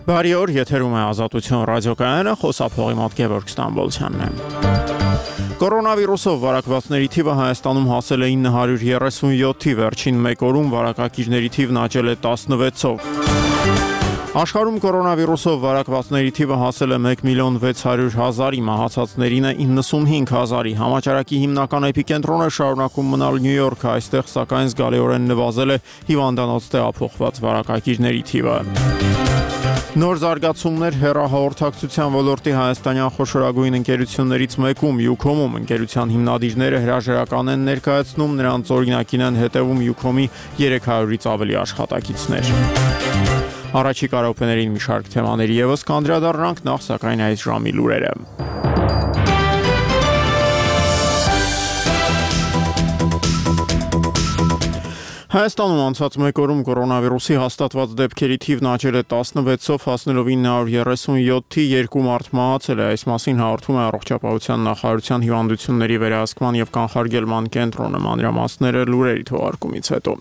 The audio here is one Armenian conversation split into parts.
Բարի օր, եթերում է Ազատություն ռադիոկայանը, խոսափողի մոտ Գևորգ Ստամբոլցյանն է։ Կորոնավիրուսով վարակվածների թիվը Հայաստանում հասել է 937-ի, վերջին մեկ օրում վարակակիրների թիվն աճել է 16-ով։ Աշխարհում կորոնավիրուսով վարակվածների թիվը հասել է 1.600.000-ի, մահացածներինը 95.000-ի։ Համաճարակի հիմնական էպիկենտրոնը շարունակում մնալ Նյու Յորքը, այստեղ սակայն զգալիորեն նվազել է հիվանդանոց տեղափոխված վարակակիրների թիվը։ Նոր զարգացումներ հեռահաղորդակցության ոլորտի հայաստանյան խոշորագույն ընկերություններից մեկում Ucom-ում ընկերության հիմնադիրները հրաժարական են ներկայացնում, նրանց օրինակին են հետևում Ucom-ի 300-ից ավելի աշխատակիցներ։ Առաջիկա րոպեներին մի շարք թեմաների ևս կանդրադառնանք, նախ սակայն այս ժամի լուրերը։ Հայաստանում անցած մեկ օրում կորոնավիրուսի հաստատված դեպքերի թիվն աճել է 16-ով, հասնելով 937-ի, 2 մարդ մահացել է, այս մասին հաղորդում է Առողջապահության նախարարության հիվանդությունների վերահսկման և կանխարգելման կենտրոնը, մանրամասները լուրերի թողարկումից հետո։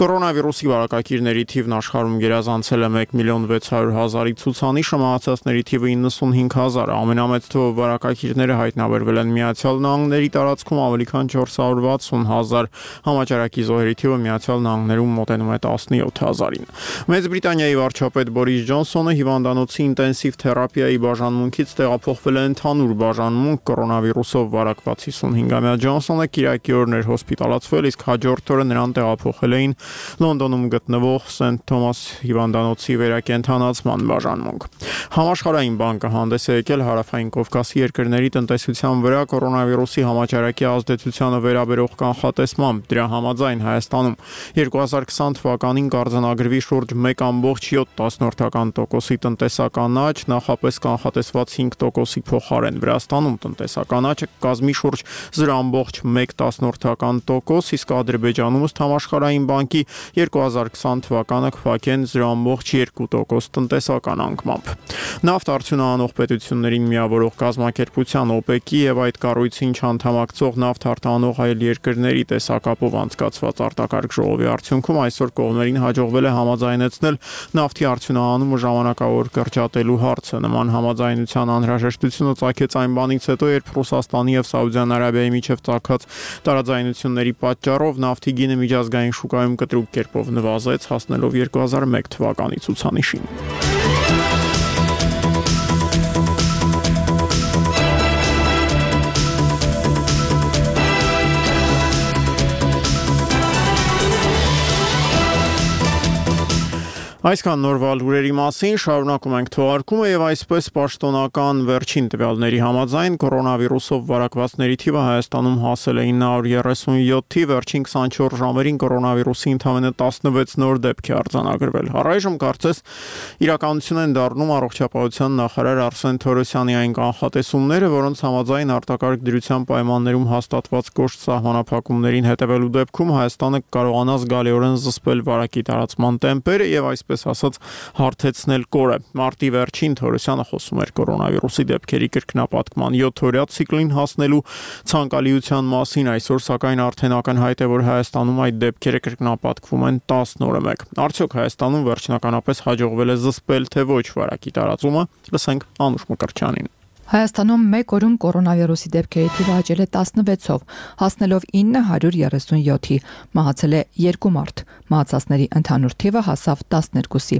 Կորոնավիրուսի վարակակիրների թիվն աշխարհում գերազանցել է 1.600.000-ի ցուցանիշը, մահացածների թիվը 95.000, ամենամեծ թվով վարակակիրները հայտնաբերվել են Միացյալ Նահանգների տարածքում, ավելի քան 460.000, համաճարակի զոհերի թիվը Միացյալ Նահանգներում մոտենում է 17.000-ին։ Մեծ Բրիտանիայի վարչապետ Բորիս Ջոնսոնը հիվանդանոցի ինտենսիվ թերապիայի բաժանմունքից տեղափոխվել է ընդհանուր բաժանմունք, կորոնավիրուսով վարակված 55-ամյա Ջոնսոնը կիրակի օրն էր հոսպիտալացվել, իսկ հաջորդ օրը նրան տեղափոխել էին Լոնդոնում գտնվող Սենթ Թոմաս հիվանդանոցի վերակենդանացման բաժանմունք։ Համաշխարհային բանկը հանդես է եկել Հարավային Կովկասի երկրների տնտեսության վրա կորոնավիրուսի համաճարակի ազդեցությանը վերաբերող կանխատեսմամբ, դրա համաձայն Հայաստանում 2020 թվականին կարձանագրվի շուրջ 1.7%-ի տնտեսական աճ, նախապես կանխատեսված 5%-ի փոխարեն։ Վրաստանում տնտեսական աճը կկազմի շուրջ 0.1%, իսկ Ադրբեջանում ըստ Համաշխարհային բանկի 2020 թվականը կփակեն 0.2% տնտեսական անկմամբ։ Նավթ արդյունահանող պետություններին միավորող կազմակերպության OPEC-ի եւ այդ կառույցին չանդամակցող նավթ արտահանող այլ երկրների տեսակապով անցկացված արտակարգ ժողովի արդյունքում այսօր կողմերին հաջողվել է համաձայնեցնել նավթի արդյունահանումը ժամանակավոր կրճատելու հարցը։ Նման համաձայնության անհրաժեշտությունը ծագեց այն բանից հետո, երբ Ռուսաստանի եւ Սաուդյան Արաբիայի միջև ծագած տարաձայնությունների պատճառով նավթի գինը միջազգային շուկայում կտրուկ կերպով նվազեց, հասնելով 2001 թվականի ցուցանիշին։ Այսքան նորվա լուրերի մասին, շարունակում ենք թողարկումը եւ այսպես պաշտոնական վերջին տվյալների համաձայն կորոնավիրուսով վարակվածների թիվը Հայաստանում հասել է 937-ի, վերջին 24 ժամերին կորոնավիրուսի ընդամենը 16 նոր դեպք է արձանագրվել։ Առայժմ կարծես իրականություն են դառնում առողջապահության նախարար Արսեն Թորոսյանի այն կանխատեսումները, որոնց համաձայն արտակարգ դրության պայմաններում հաստատված կոշտ սահմանափակումներին հետևելու դեպքում Հայաստանը կարողանա զգալիորեն զսպել վարակի տարածման տեմպերը եւ այսպես ասած հարթեցնել կորը։ Մարտի վերջին Թորոսյանը խոսում էր կորոնավիրուսի դեպքերի կրկնապատկման 7-օրյա ցիկլին հասնելու ցանկալիության մասին, այսօր սակայն արդեն ակնհայտ է, որ Հայաստանում այդ դեպքերը կրկնապատկվում են 10 օրը մեկ։ Արդյոք Հայաստանում վերջնականապես հաջողվել է զսպել թե ոչ վարակի տարածումը, լսենք Անուշ Մկրտչյանին։ Հայաստանում մեկ օրում կորոնավիրուսի դեպքերի թիվը աճել է 16-ով, հասնելով 937-ի, մահացել է 2 մարդ, մահացածների ընդհանուր թիվը հասավ 12-ի։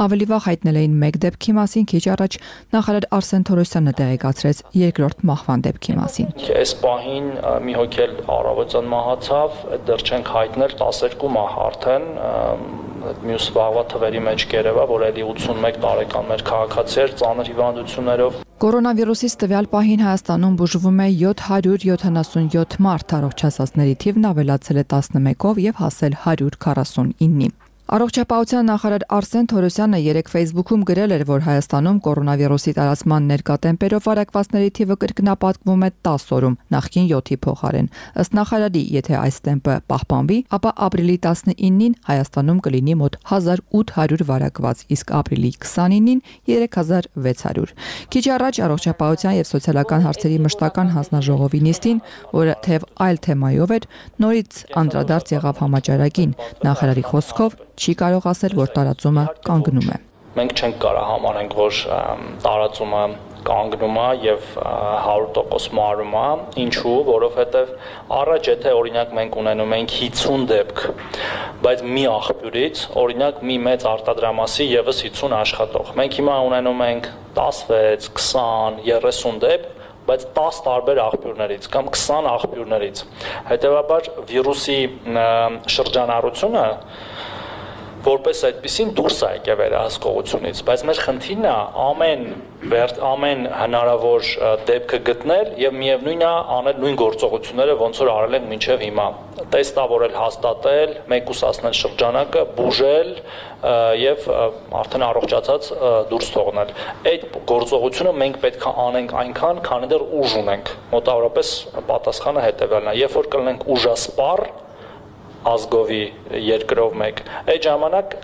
Ավելի վաղ հայտնել էին 1 դեպքի մասին, քիչ առաջ նախարար Արսեն Թորոսյանը տեղեկացրեց երկրորդ մահվան դեպքի մասին։ Այս պահին մի հոգ էլ առավոտյան մահացավ, դեռ չենք հայտնել 12 մահ արդեն, մյուս վաղվա թվերի մեջ կերևա, որ էլի 81 տարեկան մեր քաղաքացի էր ծանր հիվանդություններով։ Կորոնավիրուսից տվյալ պահին Հայաստանում բուժվում է 777 մարդ, առողջացածների թիվն ավելացել է 11-ով եւ հասել 149-ի։ Առողջապահության նախարար Արսեն Թորոսյանը երեկ Facebook-ում գրել էր, որ Հայաստանում կորոնավիրուսի տարածման ներկա տեմպերով վարակվածների թիվը կրկնապատկվում է 10 օրում, նախկին 7-ի փոխարեն։ Ըստ նախարարի, եթե այս տեմպը պահպանվի, ապա ապրիլի 19-ին Հայաստանում կլինի մոտ 1800 վարակված, իսկ ապրիլի 29-ին 3600։ Քիչ առաջ առողջապահության եւ սոցիալական հարցերի մշտական հանձնաժողովի նիստին, որը թեև այլ թեմայով էր, նորից անդրադարձ եղավ համաճարակին։ Նախարարի խոսքով չի կարող ասել, որ տարածումը կանգնում է։ մենք չենք կարող համարենք, որ տարածումը կանգնում է եւ 100% մարում է, ինչու, որովհետեւ առաջ եթե օրինակ մենք ունենում ենք 50 դեպք, բայց մի աղբյուրից, օրինակ մի մեծ արտադրամասի եւս 50 աշխատող, մենք հիմա ունենում ենք 16, 20, 30 դեպք, բայց 10 տարբեր աղբյուրներից կամ 20 աղբյուրներից, հետեւաբար վիրուսի շրջանառությունը որպես այդպեսին դուրս է եկել վերահսկողությունից, բայց մեր խնդիրն է ամեն հնարավոր դեպքը գտնել եւ միևնույնն է անել նույն գործողությունները, ոնց որ արել ենք մինչեւ հիմա, տեստավորել, հաստատել, մեկուսացնել շրջանակը, բուժել եւ արդեն առողջացած դուրս թողնել։ Այդ գործողությունը մենք պետք է անենք այնքան, քանի դեռ ուժ ունենք։ Մոտավորապես պատասխանը հետեւյալն է. երբ որ կլինենք ուժասպառ ազգովի երկրով մեկ, այդ ժամանակ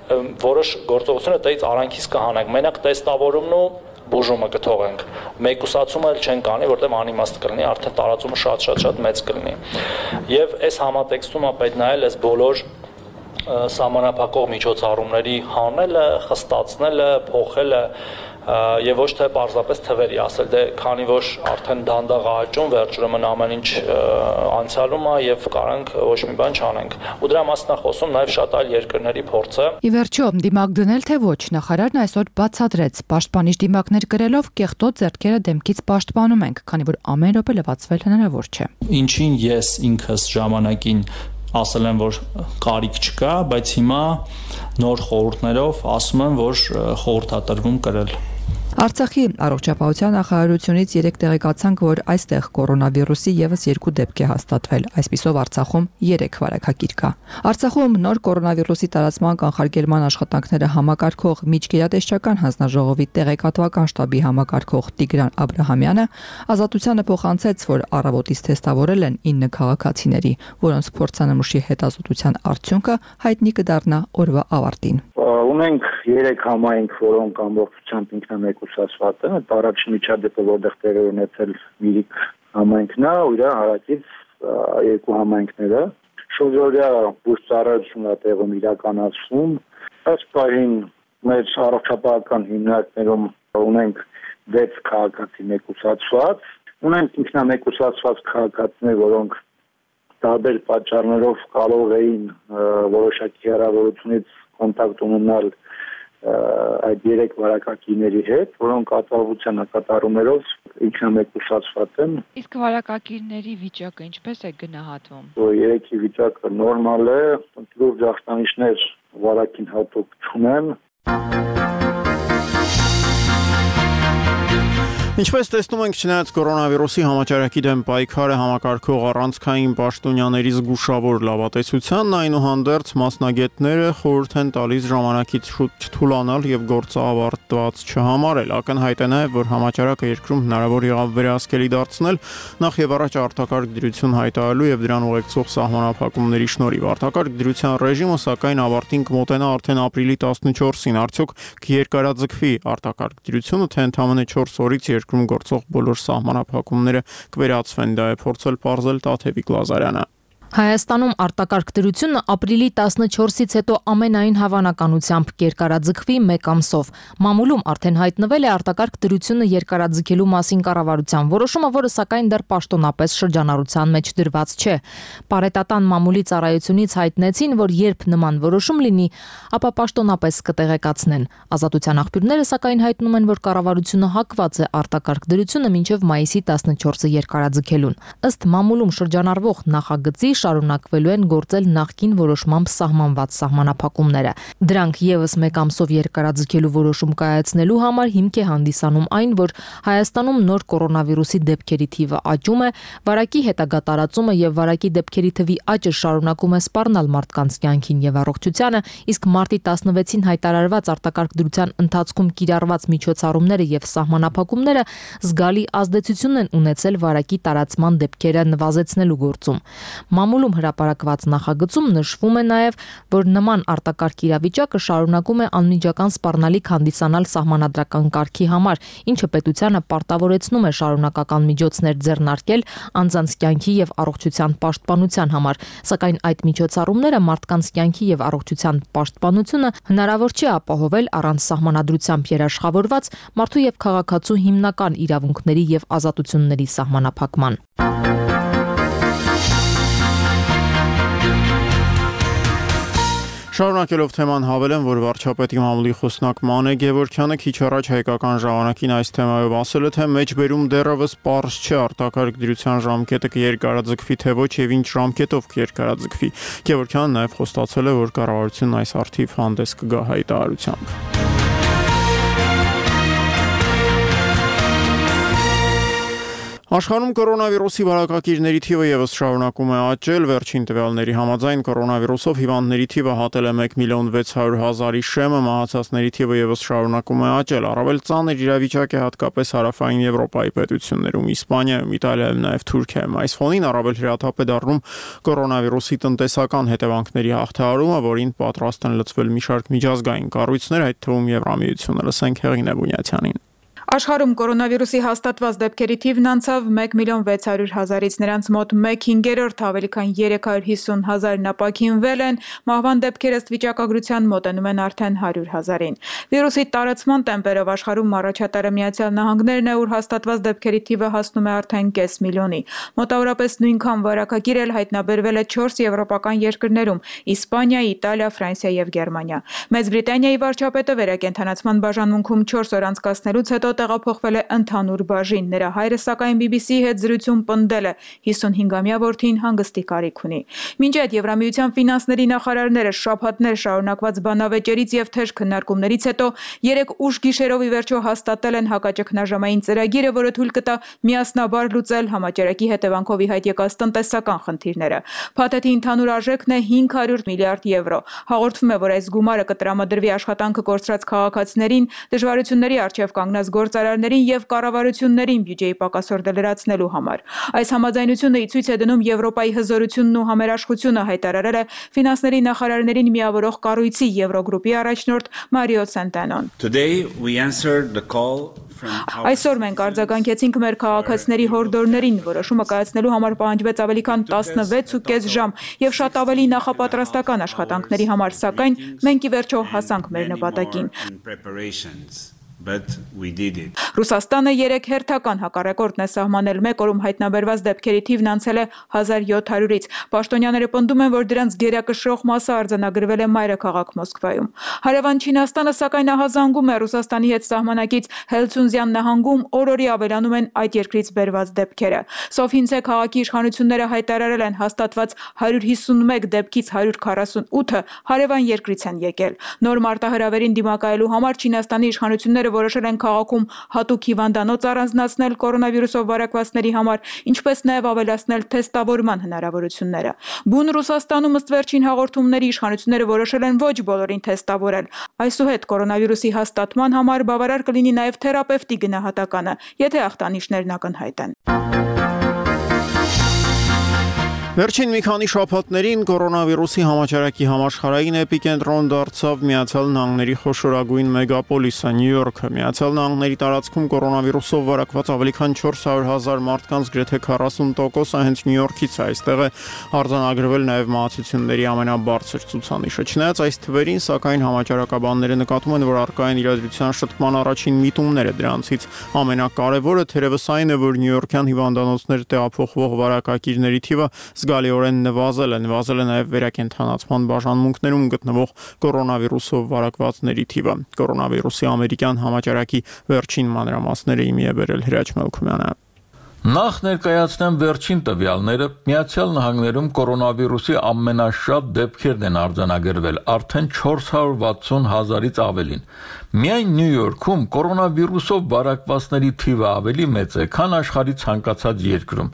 որոշ գործողությունը դից արանքից կհանենք, մենակ տեստավորումն ու բուժումը կթողենք, մեկուսացումը էլ չենք անի, որտեղ անիմաստ կլինի, արդեն տարածումը շատ մեծ կլինի։ Եվ այս համատեքստում է պետք նայել այս բոլոր սահմանափակող միջոցառումների հանելը, խստացնելը, փոխելը եւ ոչ թե պարզապես թվերի ասել, դե քանի որ արդեն դանդաղ աճում, վերջում ամեն ինչ անցյալում է եւ կարանք ոչ մի բան չանենք։ Ու դրա մասին է խոսում նաեւ շատ այլ երկրների փորձը։ Ի վերջո, դիմակ դնել թե ոչ, նախարարն այսօր բացատրեց, պաշտպանիչ դիմակներ գրելով կեղտոտ ձեռքերը դեմքից պաշտպանում ենք, քանի որ ամեն րոպե լվացվել հնարավոր չէ։ Ինչին ես ինքս ժամանակին ասել եմ, որ կարիք չկա, բայց հիմա նոր խորհուրդներով ասում եմ, որ խորհրդատրվում կրել։ Արցախի առողջապահության նախարարությունից երեկ տեղեկացանք, որ այստեղ կորոնավիրուսի եւս 2 դեպք է հաստատվել։ Այսպիսով Արցախում 3 վարակագիր կա։ Արցախում նոր կորոնավիրուսի տարածման կանխարգելման աշխատանքները համակարգող միջգերատեսչական հանձնաժողովի տեղեկատվական շտաբի համակարգող Տիգրան Աբրահամյանը Ազատությանը փոխանցեց, որ առավոտից թեստավորել են 9 քաղաքացիների, որոնց փորձանմուշի հետազոտության արդյունքը հայտնի կդառնա օրվա ավարտին։ Ունենք 3 համայնք, որոնք ամբողջությամբ ինքնամեկուսացված են, այդ առաջին միջադեպը, որտեղ տեղի ունեցել Միրիկ համայնքն է, ու իր հարակից 2 համայնքները, շրջօրյա բուժծառայություն է տեղում իրականացվում, այս պահին մեր առողջապահական հիմնարկներում ունենք 6 քաղաքացի մեկուսացված, ունենք ինքնամեկուսացված քաղաքացիներ, որոնք տարբեր պատճառներով կարող էին որոշակի հեռավորությունից կոնտակտ ունենալ այդ 3 վարակակիրների հետ, որոնք կատարողության կատարումներով ինքնամեկուսացված են։ Իսկ վարակակիրների վիճակը ինչպես է գնահատվում։ 3-ի վիճակը նորմալ է, լուրջ ախտանիշներ վարակին հատուկ չունեն։ Ինչպես տեսնում ենք, չնայած կորոնավիրուսի համաճարակի դեմ պայքարը համակարգող առանցքային պաշտոնյաների զգուշավոր լավատեսությանն, այնուհանդերձ մասնագետները խորհուրդ են տալիս ժամանակից շուտ չթուլանալ եւ գործը ավարտված չհամարել։ Ակնհայտ է նաեւ, որ համաճարակը երկրում հնարավոր եղավ վերահսկելի դարձնել նախ եւ առաջ արտակարգ դրություն հայտարարելու եւ դրան ուղեկցող սահմանափակումների շնորհիվ։ Արտակարգ դրության ռեժիմը սակայն ավարտին կմոտենա արդեն ապրիլի 14-ին։ Արդյոք կերկարաձգվի արտակարգ դրությունը, թե ընդամենը 4 օրից երկրում գործող բոլոր սահմանափակումները կվերացվեն, դա է փորձել պարզել Տաթևիկ Լազարյանը։ Հայաստանում արտակարգ դրությունը ապրիլի 14-ից հետո ամենայն հավանականությամբ կերկարաձգվի 1 ամսով։ Մամուլում արդեն հայտնվել է արտակարգ դրությունը երկարաձգելու մասին կառավարության որոշումը, որը սակայն դեռ պաշտոնապես շրջանառության մեջ դրված չէ։ Պարետատան մամուլի ծառայությունից հայտնեցին, որ երբ նման որոշում լինի, ապա պաշտոնապես կտեղեկացնեն։ Ազատության աղբյուրները սակայն հայտնում են, որ կառավարությունը հակված է արտակարգ դրությունը մինչև մայիսի 14-ը երկարաձգելուն։ Ըստ մամուլում շրջանառվող նախագծի շարունակվելու են գործել նախկին որոշմամբ սահմանված սահմանափակումները։ Դրանք եւս 1 ամսով երկարաձգելու որոշում կայացնելու համար հիմք է հանդիսանում այն, որ Հայաստանում նոր կորոնավիրուսի դեպքերի թիվը աճում է, վարակի հետագա տարածումը եւ վարակի դեպքերի թվի աճը շարունակում է սպառնալ մարդկանց կյանքին եւ առողջությանը, իսկ մարտի 16-ին հայտարարված արտակարգ դրության ընթացքում կիրառված միջոցառումները եւ սահմանափակումները զգալի ազդեցություն են ունեցել վարակի տարածման դեպքերը նվազեցնելու գործում։ Մամուլում հրապարակված նախագծում նշվում է նաև, որ նման արտակարգ իրավիճակը շարունակում է անմիջական սպառնալիք հանդիսանալ սահմանադրական կարգի համար, ինչը պետությանը պարտավորեցնում է շարունակական միջոցներ ձեռնարկել անձանց կյանքի եւ առողջության պաշտպանության համար, սակայն այդ միջոցառումները մարդկանց կյանքի եւ առողջության պաշտպանությունը հնարավոր չի ապահովել առանց սահմանադրությամբ երաշխավորված մարդու եւ քաղաքացու հիմնական իրավունքների եւ ազատությունների սահմանափակման։ Շարունակելով թեման հավելեմ, որ վարչապետի մամուլի խոսնակ Մանե Գևորգյանը քիչ առաջ հայկական ժամանակին այս թեմայով ասել է, թե մեջբերում դեռևս պարզ չէ արտակարգ դրության ժամկետը կերկարաձգվի թե ոչ եւ ինչ ժամկետով կերկարաձգվի։ Գևորգյանը նաև խոստացել է, որ կառավարությունն այս առթիվ հանդես կգա հայտարարությամբ։ Աշխարհում կորոնավիրուսի վարակակիրների թիվը եւս շարունակում է աճել, վերջին տվյալների համաձայն կորոնավիրուսով հիվանդների թիվը հատել է 1.600.000-ի շեմը, մահացածների թիվը եւս շարունակում է աճել, առավել ծանր իրավիճակ է հատկապես հարավային Եվրոպայի պետություններում, Իսպանիայում, Իտալիայում, նաեւ Թուրքիայում։ Այս ֆոնին առավել հրաթափ է դառնում կորոնավիրուսի տնտեսական հետևանքների հաղթահարումը, որին պատրաստ են լծվել մի շարք միջազգային կառույցներ, այդ թվում Եվրամիությունը։ Լսենք Հեղինե Բունյացյանին։ Աշխարհում կորոնավիրուսի հաստատված դեպքերի թիվն անցավ 1.600.000-ից, նրանց մոտ 1/5 ավելի քան 350.000-ն ապաքինվել են, մահվան դեպքերը ըստ վիճակագրության մոտենում են արդեն 100.000-ին։ Վիրուսի տարածման տեմպերով աշխարհում առաջատարը Միացյալ Նահանգներն է, ուր հաստատված դեպքերի թիվը հասնում է արդեն կես միլիոնի։ Մոտավորապես նույնքան վարակագիր էլ հայտնաբերվել է 4 եվրոպական երկրներում՝ Իսպանիա, Իտալիա, Ֆրանսիա եւ Գերմանիա։ Մեծ Բրիտանիայի վարչապետը վերակենդանացման բաժանմունքում 4 օր անցկացնելուց հետո տեղափոխվել է ընդհանուր բաժին։ Նրա հայրը սակայն BBC-ի հետ զրույցում պնդել է 55-ամյա որդին հանգստի կարիք ունի։ Մինչ այդ Եվրամիության ֆինանսների նախարարները շաբաթներ շարունակված բանավեճերից եւ թեժ քննարկումներից հետո 3 ուշ գիշերով ի վերջո հաստատել են հակաճգնաժամային ծրագիրը, որը թույլ կտա միասնաբար լուծել համաճարակի հետևանքով ի հայտ եկած տնտեսական խնդիրները։ Փաթեթի ընդհանուր արժեքն է 500 միլիարդ եվրո։ Հաղորդվում է, որ այս գումարը կտրամադրվի աշխատանքը կորցրած քաղաքացիներին, դժվարությունների առջև կանգնած գործարարներին եւ կառավարություններին բյուջեի պակասորդը լրացնելու համար։ Այս համաձայնությունը ցույց է դնում Եվրոպայի հզորությունն ու համերաշխությունը, հայտարարել է ֆինանսների նախարարներին միավորող կառույցի Եվրոգրուպի առաջնորդ Մարիո Սենտենոն։ Այսօր մենք արձագանքեցինք մեր քաղաքացիների հորդորներին, որոշումը կայացնելու համար պահանջվեց ավելի քան 16.5 ժամ եւ շատ ավելի նախապատրաստական աշխատանքների համար, սակայն մենք ի վերջո հասանք մեր նպատակին։ Ռուսաստանը 3 հերթական հակառեկորդ է սահմանել, մեկ օրում հայտնաբերված դեպքերի թիվն անցել է 1700-ից։ Պաշտոնյաները պնդում են, որ դրանց գերակշռող մասը արձանագրվել է մայրաքաղաք Մոսկվայում։ Հարևան Չինաստանը սակայն ահազանգում է Ռուսաստանի հետ սահմանակից Հելցունզյան նահանգում օր-օրի ավելանում են այդ երկրից բերված դեպքերը։ Սոֆինցե քաղաքի իշխանությունները հայտարարել են հաստատված 151 դեպքից 148-ը հարևան երկրից են եկել։ Նոր մարտահրավերին դիմակայելու համար Չինաստանի իշխանությունները որոշել են քաղաքում հատուկ հիվանդանոց առանձնացնել կորոնավիրուսով վարակվածների համար, ինչպես նաև ավելացնել թեստավորման հնարավորությունները։ Բուն Ռուսաստանում ըստ վերջին հաղորդումների իշխանությունները որոշել են ոչ բոլորին թեստավորել։ Այսուհետ կորոնավիրուսի հաստատման համար բավարար կլինի նաև թերապևտի գնահատականը, եթե ախտանիշներն ակնհայտ են։ Վերջին մի քանի շաբաթներին կորոնավիրուսի համաճարակի համաշխարհային էպիկենտրոն դարձավ Միացյալ Նահանգների խոշորագույն մեգապոլիսը Նյու Յորքը։ Միացյալ Նահանգների տարածքում կորոնավիրուսով վարակված ավելի քան 400,000 մարդկանց գրեթե 40%-ը հենց Նյու Յորքից է։ Այստեղ է արձանագրվել նաև մահացությունների ամենաբարձր ցուցանիշը։ Չնայած այս թվերին, սակայն համաճարակաբանները նկատում են, որ առկա են իրադրության շտկման առաջին միտումները։ Դրանցից ամենակարևորը թերևս այն է, որ նյույորքյան հիվանդանոցներ տեղափոխվող վարակակիրների թիվը զգալիորեն նվազել է նաև վերակենդանացման բաժանմունքներում գտնվող կորոնավիրուսով վարակվածների թիվը։ Կորոնավիրուսի ամերիկյան համաճարակի վերջին մանրամասները իմի է բերել Հրաչ Մելքումյանը։ Նախ ներկայացնեմ վերջին տվյալները։ Միացյալ Նահանգներում կորոնավիրուսի ամենաշատ դեպքերն են արձանագրվել, արդեն 460,000-ից ավելին։ Միայն Նյու Յորքում կորոնավիրուսով վարակվածների թիվը ավելի մեծ է, քան աշխարհի ցանկացած երկրում։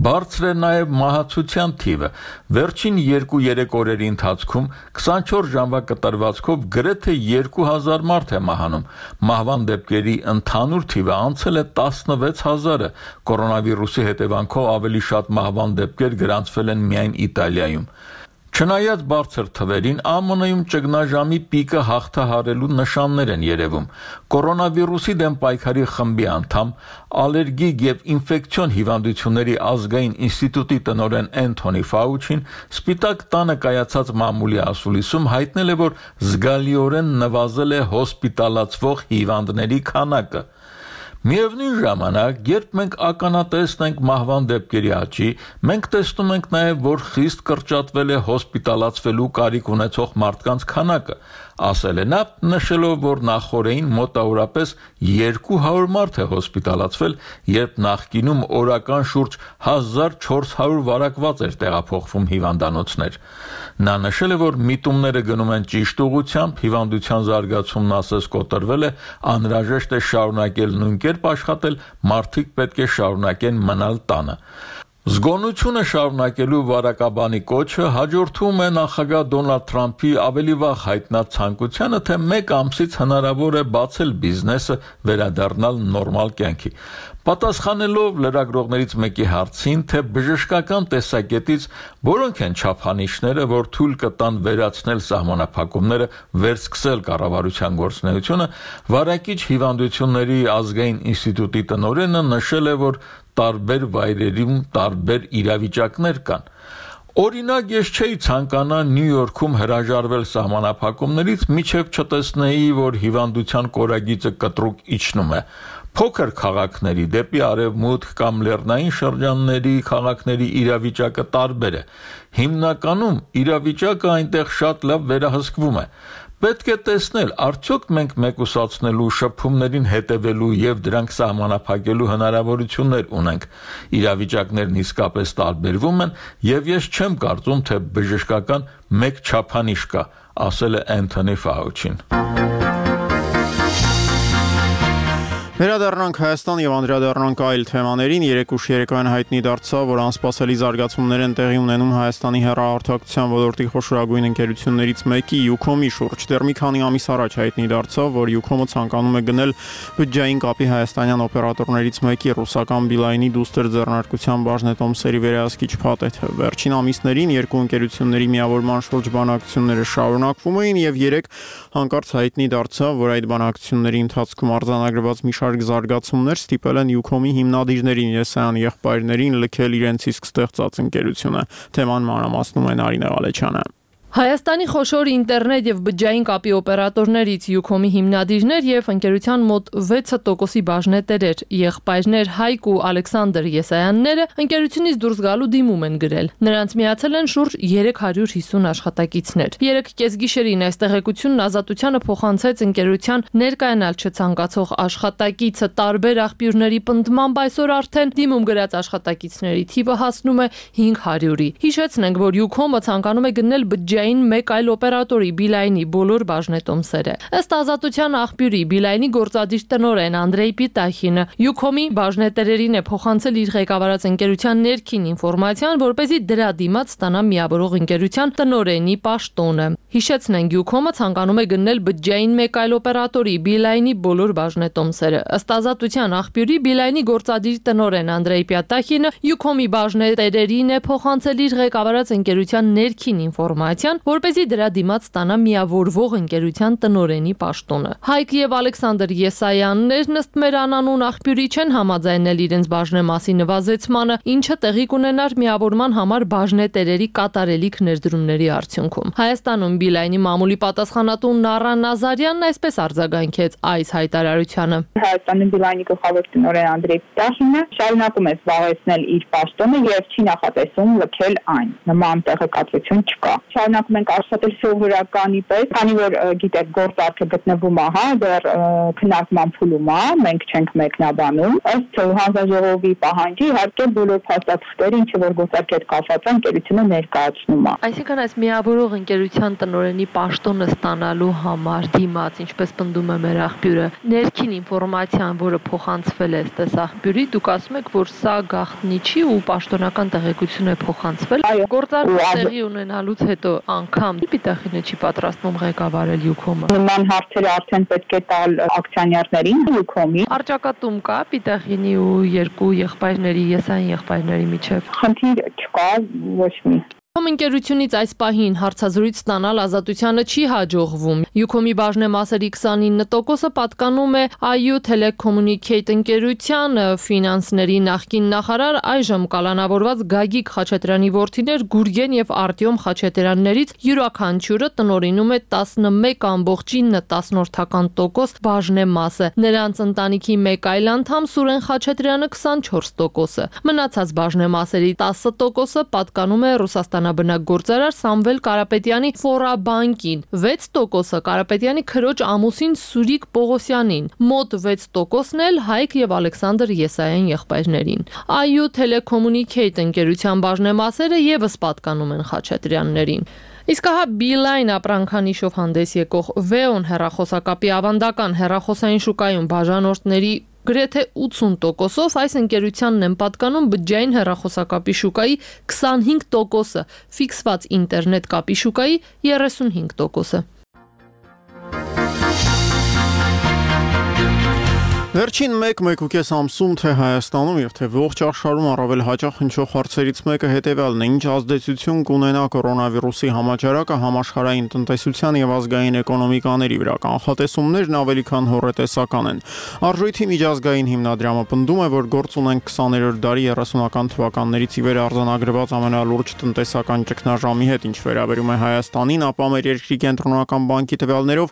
Բարձր է նաև մահացության թիվը։ Վերջին 2-3 օրերի ընթացքում 24 ժամվա կտրվածքով գրեթե 2000 մարդ է մահանում։ Մահվան դեպքերի ընդհանուր թիվը անցել է 16,000-ը։ կորոնավիրուսի հետևանքով ավելի շատ մահվան դեպքեր գրանցվել են միայն Իտալիայում։ Չնայած բարձր թվերին, ԱՄՆ-ում ճգնաժամի պիկը հաղթահարելու նշաններ են երևում։ Կորոնավիրուսի դեմ պայքարի խմբի անդամ, ալերգիկ եւ ինֆեկցիոն հիվանդությունների ազգային ինստիտուտի տնօրեն Անթոնի Ֆաուչին Սպիտակ տանը կայացած մամուլի ասուլիսում հայտնել է, որ զգալիորեն նվազել է հոսպիտալացվող հիվանդների քանակը։ Միևնույն ժամանակ, երբ մենք ականատեսն ենք մահվան դեպքերի աճի, մենք տեսնում ենք նաև, որ խիստ կրճատվել է հոսպիտալացվելու կարիք ունեցող մարդկանց քանակը, ասել է նա, նշելով, որ նախօրեին մոտավորապես 200 մարդ է հոսպիտալացվել, երբ նախկինում օրական շուրջ 1400 վարակված էր տեղափոխվում հիվանդանոցներ։ Նա նշել է, որ միտումները գնում են ճիշտ ուղղությամբ, հիվանդության զարգացումն ասես կոտրվել է, անհրաժեշտ է շարունակել նույն կերպ աշխատել, մարդիկ պետք է շարունակեն մնալ տանը։ Զգոնությունը շարունակելու վարակաբանի կոչը հաջորդում է նախագահ Դոնալդ Թրամփի ավելի վաղ հայտնած ցանկությանը, թե 1 ամսից հնարավոր է բացել բիզնեսը, վերադառնալ նորմալ կյանքի։ Պատասխանելով լրագրողներից մեկի հարցին, թե բժշկական տեսակետից որոնք են չափանիշները, որ թույլ կտան վերացնել սահմանափակումները, վերսկսել կառավարության գործունեությունը, Վարակիչ հիվանդությունների ազգային ինստիտուտի տնօրենը նշել է, որ տարբեր վայրերում տարբեր իրավիճակներ կան։ Օրինակ, ես չէի ցանկանա Նյու Յորքում հրաժարվել սահմանափակումներից, մինչև չտեսնեի, որ հիվանդության կորագիծը կտրուկ իջնում է։ Փոքր քաղաքների դեպի արևմուտք կամ լեռնային շրջանների քաղաքների իրավիճակը տարբեր է։ Հիմնականում իրավիճակը այնտեղ շատ լավ վերահսկվում է։ Պետք է տեսնել, արդյոք մենք մեկուսացնելու, շփումներին հետևելու եւ դրանք սահմանափակելու հնարավորություններ ունենք։ Իրավիճակներն իսկապես տարբերվում են եւ ես չեմ կարծում, թե բժշկական մեկ չափանիշ կա, ասել է Անթոնի Ֆաուչին։ Վերադառնանք Հայաստան եւ անդրադառնանք այլ թեմաներին։ Երեկուշ երեկոյան հայտնի դարձավ, որ անսպասելի զարգացումներ են տեղի ունենում Հայաստանի հեռահաղորդակցության ոլորտի խոշորագույն ընկերություններից մեկի Յուքոմի շուրջ։ Դեռ մի քանի ամիս առաջ հայտնի դարձավ, որ Յուքոմը ցանկանում է գնել բյուջեային կապի հայաստանյան օպերատորներից մեկի ռուսական Բիլայնի դուստր ձեռնարկության բաժնետոմսերի վերահսկիչ փաթեթը։ Վերջին ամիսներին երկու ընկերությունների միավորման շուրջ բանակցությունները շարունակվում էին եւ երեք հանկարծ հայտնի դարձավ, որ այդ բանակցությունների ընթացքում արձանագրված մի զարգացումներ ստիպել են Յուքոմի հիմնադիրներին Եսայան եղբայրներին լքել իրենց իսկ ստեղծած ընկերությունը։ Թեման մանրամասնում է Նարինե Ղալեչյանը։ Հայաստանի խոշոր ինտերնետ եւ բջջային կապի օպերատորներից Յուքոմի հիմնադիրներ եւ ընկերության մոտ 6% բաժնետերեր, եղբայրներ Հայկ ու Ալեքսանդր Եսայանները ընկերությունից դուրս գալու դիմում են գրել։ Նրանց միացել են շուրջ 350 աշխատակիցներ։ 3 կեսգիշերին այս տեղեկությունն Ազատությանը փոխանցեց ընկերության ներկայանալ չցանկացող աշխատակիցը տարբեր աղբյուրների պնդմամբ այսօր արդեն դիմում գրած աշխատակիցների թիվը հասնում է 500-ի։ Հիշեցնենք, որ Յուքոմը ցանկանում է գնել բջջային մեկ այլ օպերատորի Բիլայնի բոլոր բաժնետոմսերը։ Ըստ Ազատության աղբյուրի Բիլայնի գործադիր տնօրեն Անդրեյ Պիտախինը Յուքոմի բաժնետերերին է փոխանցել իր ղեկավարած ընկերության ներքին ինֆորմացիան, որպեսզի դրա դիմաց ստանա միավորող ընկերության տնօրենի պաշտոնը։ Հիշեցնենք, Յուքոմը ցանկանում է գնել բջջային մեկ այլ օպերատորի Բիլայնի բոլոր բաժնետոմսերը։ Ըստ Ազատության աղբյուրի Բիլայնի գործադիր տնօրեն Անդրեյ Պիտախինը Յուքոմի բաժնետերերին է փոխանցել իր ղեկավարած ընկերության ներքին ինֆորմացիան, որպեսզի դրա դիմաց ստանա միավորվող ընկերության տնօրենի պաշտոնը։ Հայկ եւ Ալեքսանդր Եսայաններն ըստ մեր անանուն աղբյուրի չեն համաձայնել իրենց բաժնեմասի նվազեցմանը, ինչը տեղի կունենար միավորման համար բաժնետերերի կատարելիք ներդրումների արդյունքում։ Հայաստանում Բիլայնի մամուլի պատասխանատու Նարա Նազարյանն այսպես արձագանքեց այս հայտարարությանը։ Հայաստանի Բիլայնի գլխավոր տնօրեն Անդրեյ Պիտախինը շարունակում է զբաղեցնել իր պաշտոնը եւ չի նախատեսում լքել այն։ Նման տեղեկատվություն չկա։ Շարունակում ենք աշխատել սովորականի պես, քանի որ գիտեք գործարքը գտնվում է, դեռ քննարկման փուլում է, մենք չենք մեկնաբանում։ Ըստ հանձնաժողովի պահանջի, իհարկե բոլոր փաստաթղթերը, ինչ որ գործարքի հետ կապված են, ընկերությունը ներկայացնում է։ Այսինքն այս միավորող ընկերության տնօրենի պաշտոնը ստանալու համար դիմաց, ինչպես պնդում է մեր աղբյուրը, ներքին ինֆորմացիան, որը փոխանցվել է ըստ աղբյուրի, դուք ասում եք, որ սա գաղտնի չի ու պաշտոնական տեղեկություն է փոխանցվել։ Գործարքը տեղի ունենալուց հետո անգամ Պիտախինը չի պատրաստվում ղեկավարել Յուքոմը։ Նման հարցերը արդեն պետք է տալ ակցիոներներին Յուքոմի։ Առճակատում կա Պիտախինի ու երկու եղբայրների, եսային եղբայրների միջև։ Խնդիր չկա, ոչ մի։ Ընկերությունից այս պահին հարցազրույց ստանալ Ազատությանը չի հաջողվում։ Յուքոմի բաժնեմասերի 29%-ը պատկանում է IU Telecommunicate ընկերությանը, ֆինանսների նախկին նախարար այժմ կալանավորված Գագիկ Խաչատրյանի որդիներ Գուրգեն եւ Արտյոմ Խաչատրյաններից յուրաքանչյուրը տնօրինում է 11.9% բաժնեմասը։ Նրանց ընտանիքի մեկ այլ անդամ Սուրեն Խաչատրյանը 24%-ը։ Մնացած բաժնեմասերի 10%-ը պատկանում է Ռուսաստանաբնակ գործարար Սամվել Կարապետյանի Ֆորաբանկին, 6%-ը Կարապետյանի քրոջ ամուսին Սուրիկ Պողոսյանին, մոտ 6%-ն էլ Հայկ եւ Ալեքսանդր Եսայան եղբայրներին։ IU Telecommunicate ընկերության բաժնեմասերը եւս պատկանում են Խաչատրյաններին։ Իսկ հա Beeline ապրանքանիշով հանդես եկող Veon հեռախոսակապի ավանդական հեռախոսային շուկայում բաժանորդների գրեթե 80%-ով այս ընկերությանն են պատկանում բջջային հեռախոսակապի շուկայի 25%-ը, ֆիքսված ինտերնետ կապի շուկայի 35%-ը։ Վերջին 1-1.5 ամսում թե Հայաստանում եւ թե ողջ աշխարհում առավել հաճախ հնչող հարցերից մեկը հետեւյալն է. ինչ ազդեցություն կունենա կորոնավիրուսի համաճարակը համաշխարհային տնտեսության եւ ազգային էկոնոմիկաների վրա։ Կանխատեսումներն ավելի քան հոռետեսական են։ Արժույթի միջազգային հիմնադրամը պնդում է, որ գործ ունենք 20-րդ դարի 30-ական թվականներից ի վեր արձանագրված ամենալուրջ տնտեսական ճգնաժամի հետ, ինչ վերաբերում է Հայաստանին, ապա մեր երկրի կենտրոնական բանկի տվյալներով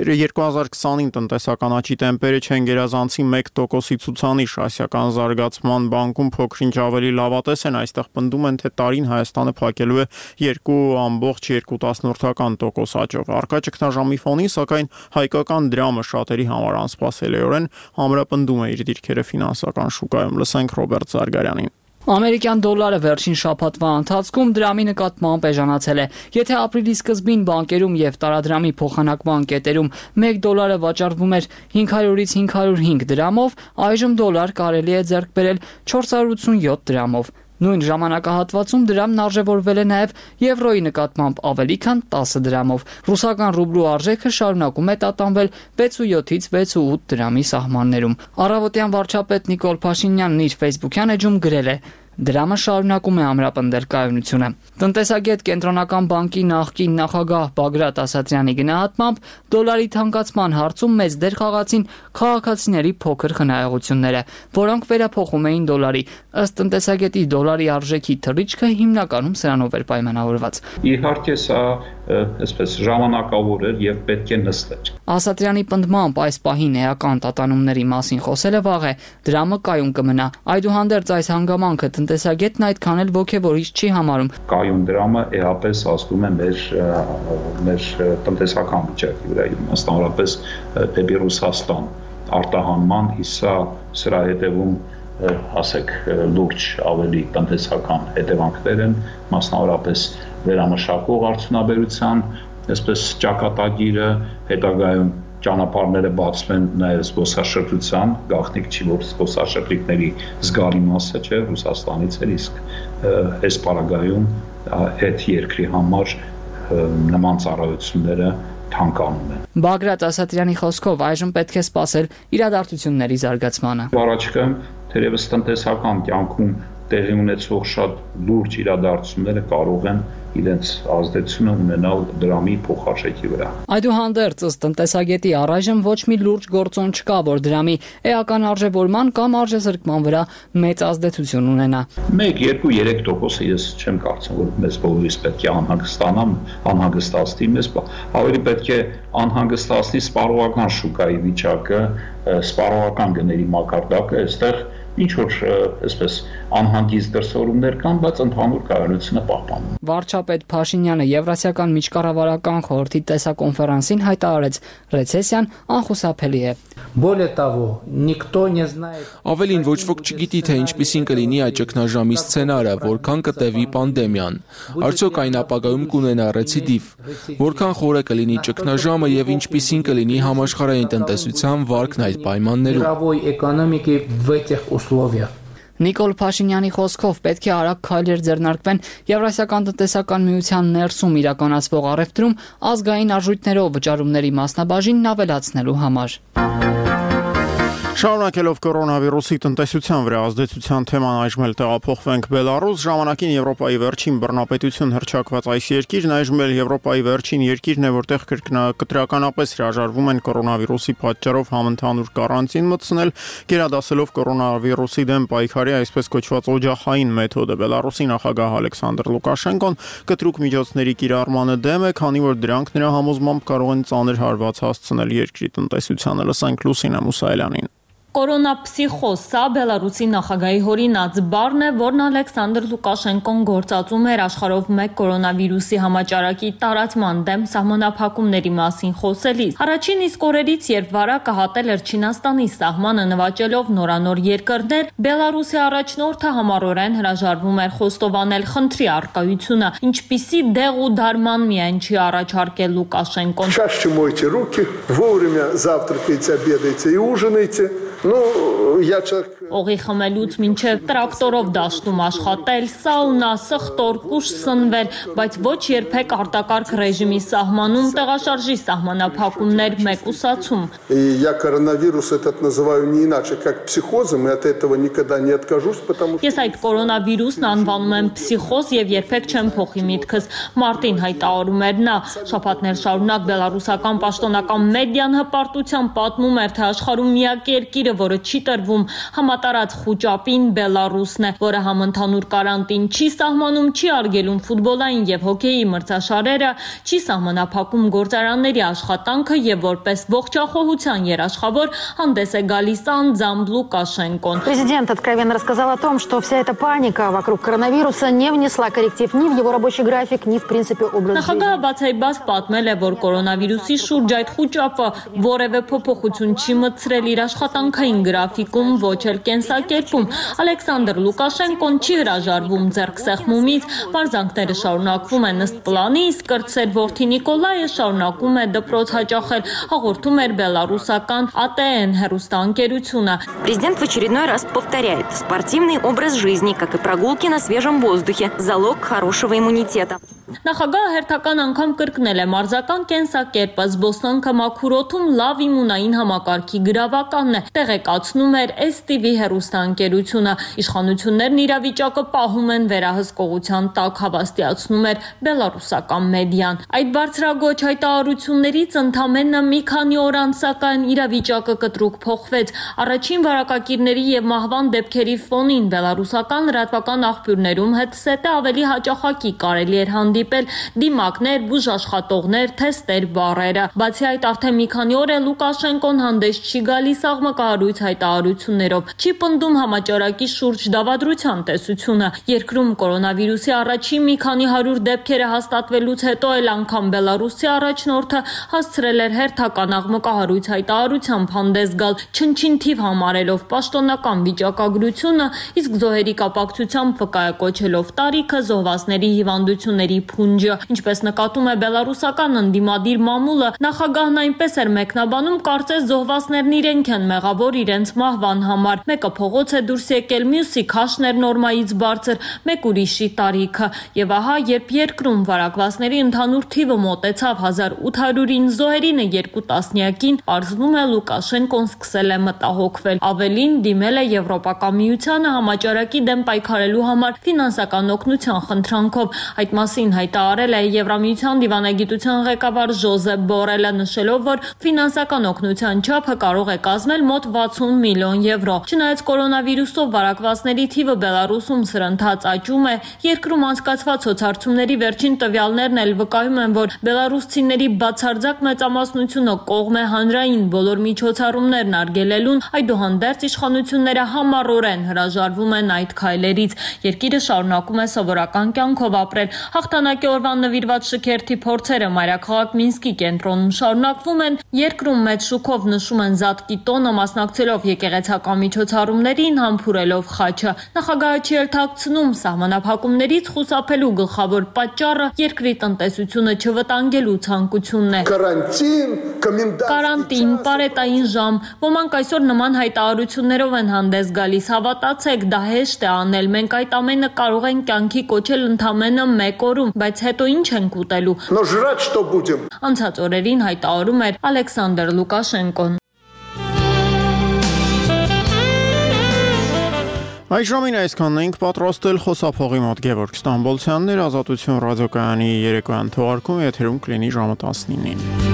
2020-ին տնտեսական աճի տեմպերը չեն գերազանցի 1%-ի ցուցանիշ, ասիական զարգացման բանկում փոքրինչ ավելի լավատես են, այստեղ պնդում են, թե տարին Հայաստանը փակելու է 2.2% աճով։ Առկա ճգնաժամի ֆոնին, սակայն հայկական դրամը շատերի համար անսպասելիորեն ամրապնդում է իր դիրքերը ֆինանսական շուկայում։ Լսենք Ռոբերտ Զարգարյանին։ Ամերիկյան դոլարը վերջին շաբաթվա ընթացքում դրամի նկատմամբ էժանացել է։ Եթե ապրիլի սկզբին բանկերում եւ տարադրամի փոխանակման կետերում 1 դոլարը վաճառվում էր 500-ից 505 դրամով, այժմ դոլար կարելի է ձեռք բերել 487 դրամով։ Նույն ժամանակահատվածում դրամն արժևորվել է նաև եվրոյի նկատմամբ ավելի քան 10 դրամով։ Ռուսական ռուբլու արժեքը շարունակում է տատանվել 6.7-ից 6.8 դրամի սահմաններում։ Առավոտյան վարչապետ Նիկոլ Փաշինյանն իր Facebook-յան էջում գրել է. Դրամը շարունակում է ամրապնդել կայունությունը։ Տնտեսագետ Կենտրոնական բանկի նախկին նախագահ Բագրատ Ասատրյանի գնահատմամբ դոլարի թանկացման հարցում մեծ դեր խաղացին քաղաքացիների փոքր խնայողությունները, որոնք վերափոխում էին դոլարի։ Ըստ տնտեսագետի դոլարի արժեքի թռիչքը հիմնականում սրանով էր պայմանավորված։ Իհարկե սա այսպես ժամանակավոր էր եւ պետք է նստեր։ Ասատրյանի պնդմամբ այս պահին էական տատանումների մասին խոսելը վաղ է, դրամը կայուն կմնա։ Այդուհանդերձ այս հանգամանքը տնտեսագետն այդքան էլ ոգևորիչ չի համարում։ Կայուն դրամը էապես ազդում է մեր տնտեսական վիճակի վրա, մասնավորապես դեպի Ռուսաստան արտահանման, իսկ սրա հետևում ասեք լուրջ ավելի տնտեսական հետևանքներ են, մասնավորապես վերամշակող արդյունաբերության, այսպես ճակատագիրը, հետագայում ճանապարհները բացվեն նաև զբոսաշրջության, գաղտնիք չի, որ զբոսաշրջիկների զգալի մասը չէ Ռուսաստանից էր, իսկ այս պարագայում այդ երկրի համար նման ծառայությունները թանկանում են։ Բագրատ Ասատրյանի խոսքով այժմ պետք է սպասել իրադարձությունների զարգացմանը։ Առաջիկայում թերևս տնտեսական կյանքում տեղի ունեցող շատ լուրջ իրադարձությունները կարող են իրենց ազդեցությունը ունենալ դրամի փոխարժեքի վրա։ Այդուհանդերձ ըստ տնտեսագետի առայժմ ոչ մի լուրջ գործոն չկա, որ դրամի էական արժևորման կամ արժեզրկման վրա մեծ ազդեցություն ունենա։ 1-2-3% ես չեմ կարծում, որ մեզ բոլորիս պետք է անհանգստացնի մեզ, ավելի պետք է անհանգստացնի սպառողական շուկայի վիճակը, սպառողական գների մակարդակը, այստեղ ինչ որ այսպես անհանգիստ դրսևորումներ կան, բայց ընդհանուր կայունությունը պահպանում։ Վարչապետ Փաշինյանը Եվրասիական միջկառավարական խորհրդի տեսակոնֆերանսին հայտարարեց, ռեցեսիան անխուսափելի է։ Ավելին ոչ ոք չգիտի, թե ինչպիսին կլինի այդ ճգնաժամի սցենարը, որքան կտևի պանդեմիան։ Արդյոք այն ապագայում կունենա ռեցիդիվ, որքան խոր է կլինի ճգնաժամը եւ ինչպիսին կլինի համաշխարհային տնտեսության վարկն այդ պայմաններում։ Նիկոլ Փաշինյանի խոսքով պետք է արագ քայլեր ձեռնարկվեն Եվրասիական տնտեսական միության ներսում իրականացվող առևտրում ազգային արժույթներով վճարումների մասնաբաժինն ավելացնելու համար։ Շարունակելով կորոնավիրուսի տնտեսության վրա ազդեցության թեման այժմ էլ տեղափոխվենք Բելարուս, ժամանակին Եվրոպայի վերջին բռնապետություն հռչակված այս երկիրն այժմ էլ Եվրոպայի վերջին երկիրն է, որտեղ կտրականապես հրաժարվում են կորոնավիրուսի պատճառով համընդհանուր կարանտին մտցնել, գերադասելով կորոնավիրուսի դեմ պայքարի այսպես կոչված օջախային մեթոդը։ Բելարուսի նախագահ Ալեքսանդր Լուկաշենկոն կտրուկ միջոցների կիրառմանը դեմ է, քանի որ դրանք նրա համոզմամբ կարող են ծանր հարված հասցնել երկրի տնտեսությանը։ Լսենք Լուսինա Մուսայելյանին։ Կորոնապսիխոզ, սա Բելարուսի նախագահի հորինած բառն է, որն Ալեքսանդր Լուկաշենկոն գործածում էր աշխարհով մեկ կորոնավիրուսի համաճարակի տարածման դեմ սահմանափակումների մասին խոսելիս։ Առաջին իսկ օրերից, երբ վարակը հատել էր Չինաստանի սահմանը նվաճելով նորանոր երկրներ, Բելարուսի առաջնորդը համառորեն հրաժարվում էր խոստովանել խնդրի առկայությունը, ինչպիսի դեղ ու դարման միայն չի առաջարկել Լուկաշենկոն։ Чаще мойте руки, вовремя завтракайте, обедайте и ужинайте. Օղի խմելուց մինչև տրակտորով դաշտում աշխատել, սաունա, սխտոր, կուշ սնվել, բայց ոչ երբեք արտակարգ ռեժիմի սահմանում տեղաշարժի սահմանափակումներ մեկուսացում։ Я коронавирус этот называю не иначе, как психозом, и от этого никогда не откажусь, потому что... Ես այդ կորոնավիրուսն անվանում եմ պսիխոզ եւ երբեք չեմ փոխի միտքս։ Մարտին հայտարարում էր նա, շաբաթներ շարունակ բելարուսական պաշտոնական մեդիան հպարտությամբ պատմում էր, թե աշխարհում միակ երկիրը, որը չի տրվում համատարած խուճապին Բելարուսն է, որը համընդհանուր կարանտին չի սահմանում, չի արգելում ֆուտբոլային եւ հոկեյի մրցաշարերը, չի սահմանափակում գործարանների աշխատանքը եւ որպես ողջախոհության երաշխավոր հանդես է գալիս անձամբ Լուկաշենկոն։ Президент откровенно рассказал о том, что вся эта паника вокруг коронавируса не внесла корректив ни в его рабочий график, ни в принципе образ жизни. Նախագահը բացայբաց պատմել է, որ կորոնավիրուսի շուրջ այդ խուճապը որևէ փոփոխություն չի մտցրել իր աշխատանքային գրաֆիկում, ոչ էլ կենսակերպում։ Ալեքսանդր Լուկաշենկոն չի հրաժարվում ձեռքսեղմումից, բարձանքները շարունակվում են ըստ պլանի, իսկ կրտսեր որդի Նիկոլայը շարունակում է դպրոց հաճախել, հաղորդում էր բելարուսական ATN հեռուստաընկերությունը։ Президент в очередной раз повторяет: спортивный образ жизни, как и прогулки на свежем воздухе, залог хорошего иммунитета. Նախագահը հերթական անգամ կրկնել է մարզական կենսակերպը, զբոսանքը մաքուր օդում լավ իմունային համակարգի գրավականն է, տեղեկացնում էր STV հեռուստաընկերությունը։ Իշխանություններն իրավիճակը պահում են վերահսկողության տակ, հավաստիացնում էր բելարուսական մեդիան։ Այդ բարձրագույն հայտարարություններից ընդամենը մի քանի օր անց սակայն իրավիճակը կտրուկ փոխվեց։ Առաջին վարակակիրների եւ մահվան դեպքերի ֆոնին բելարուսական լրատվական աղբյուրներում հետսետը ավելի հաճախակի կարելի էր հանդիպել դիմակներ, բուժաշխատողներ, թեստեր, բառերը։ Բացի այդ, արդեն մի քանի օր է Լուկաշենկոն հանդես չի գալիս աղմկահարույց հայտարարություններով, չի պնդում համաճարակի շուրջ դավադրության տեսությունը։ Երկրում կորոնավիրուսի առաջին մի քանի 100 դեպքերը հաստատվելուց հետո էլ անգամ Բելարուսի առաջնորդը հասցրել էր հերթական աղմկահարույց հայտարարությամբ հանդես գալ, չնչին թիվ համարելով պաշտոնական վիճակագրությունը, իսկ զոհերի կապակցությամբ վկայակոչելով տարիքը, զոհվածների հիվանդությունների փունջը։ Ինչպես նկատում է բելարուսական ընդդիմադիր մամուլը, նախագահն այնպես էր մեկնաբանում, կարծես զոհվածներն իրենք են մեղավոր իրենց մահվան համար։ Մեկը փողոց է դուրս եկել, մյուսի քաշն էր նորմայից բարձր, մեկ ուրիշի տարիքը։ Եվ ահա, երբ երկրում վարակվածների ընդհանուր թիվը մոտեցավ 1800-ին, զոհերինը 2 տասնյակին, պարզվում է Լուկաշենկոն սկսել է մտահոգվել։ Ավելին, դիմել է Եվրոպական միությանը համաճարակի դեմ պայքարելու համար ֆինանսական օգնության խնդրանքով։ Այդ մասին հայտարարել է Եվրամիության դիվանագիտության ղեկավար Ժոզեփ Բորելը, նշելով, որ ֆինանսական օգնության չափը կարող է կազմել մոտ 60 միլիոն եվրո։ Չնայած կորոնավիրուսով վարակվածների թիվը Բելարուսում սրընթաց աճում է, երկրում անցկացված սոցհարցումների վերջին տվյալներն էլ վկայում են, որ բելարուսցիների բացարձակ մեծամասնությունը կողմ է հանրային բոլոր միջոցառումներն արգելելուն, այդուհանդերձ իշխանությունները համառորեն հրաժարվում են այդ քայլերից։ Երկիրը շարունակում է սովորական կյանքով ապրել։ Հաղթանակի օրվան նվիրված շքերթի փորձերը մայրաքաղաք Մինսկի կենտրոնում շարունակվում են։ Երկրում մեծ շուկով նշում են Զատկի տոնը, մասնակցելով եկեղեցական միջոցառումներին, համբուրելով խաչը։ Նախագահը չի թաքցնում սահմանափակումներից խուսափելու գլխավոր պատճառը երկրի տնտեսությունը չվտանգելու ցանկությունն է։ Կարանտին, պարետային ժամ։ Ոմանք այսօր նման հայտարարություններով են հանդես գալիս։ Հավատացեք, դա հեշտ է անել։ Մենք այդ ամենը կարող ենք կյանքի կոչել ընդամենը 1 օրում, բայց հետո ինչ ենք ուտելու։ Անցած օրերին հայտարարում էր Ալեքսանդր Լուկաշենկոն։ Այս ժամին այսքանն ենք պատրաստել խոսափողի մոտ Գևորգ Ստամբոլցյանն էր, Ազատություն ռադիոկայանի երեկոյան թողարկումը եթերում կլինի ժամը 19-ին։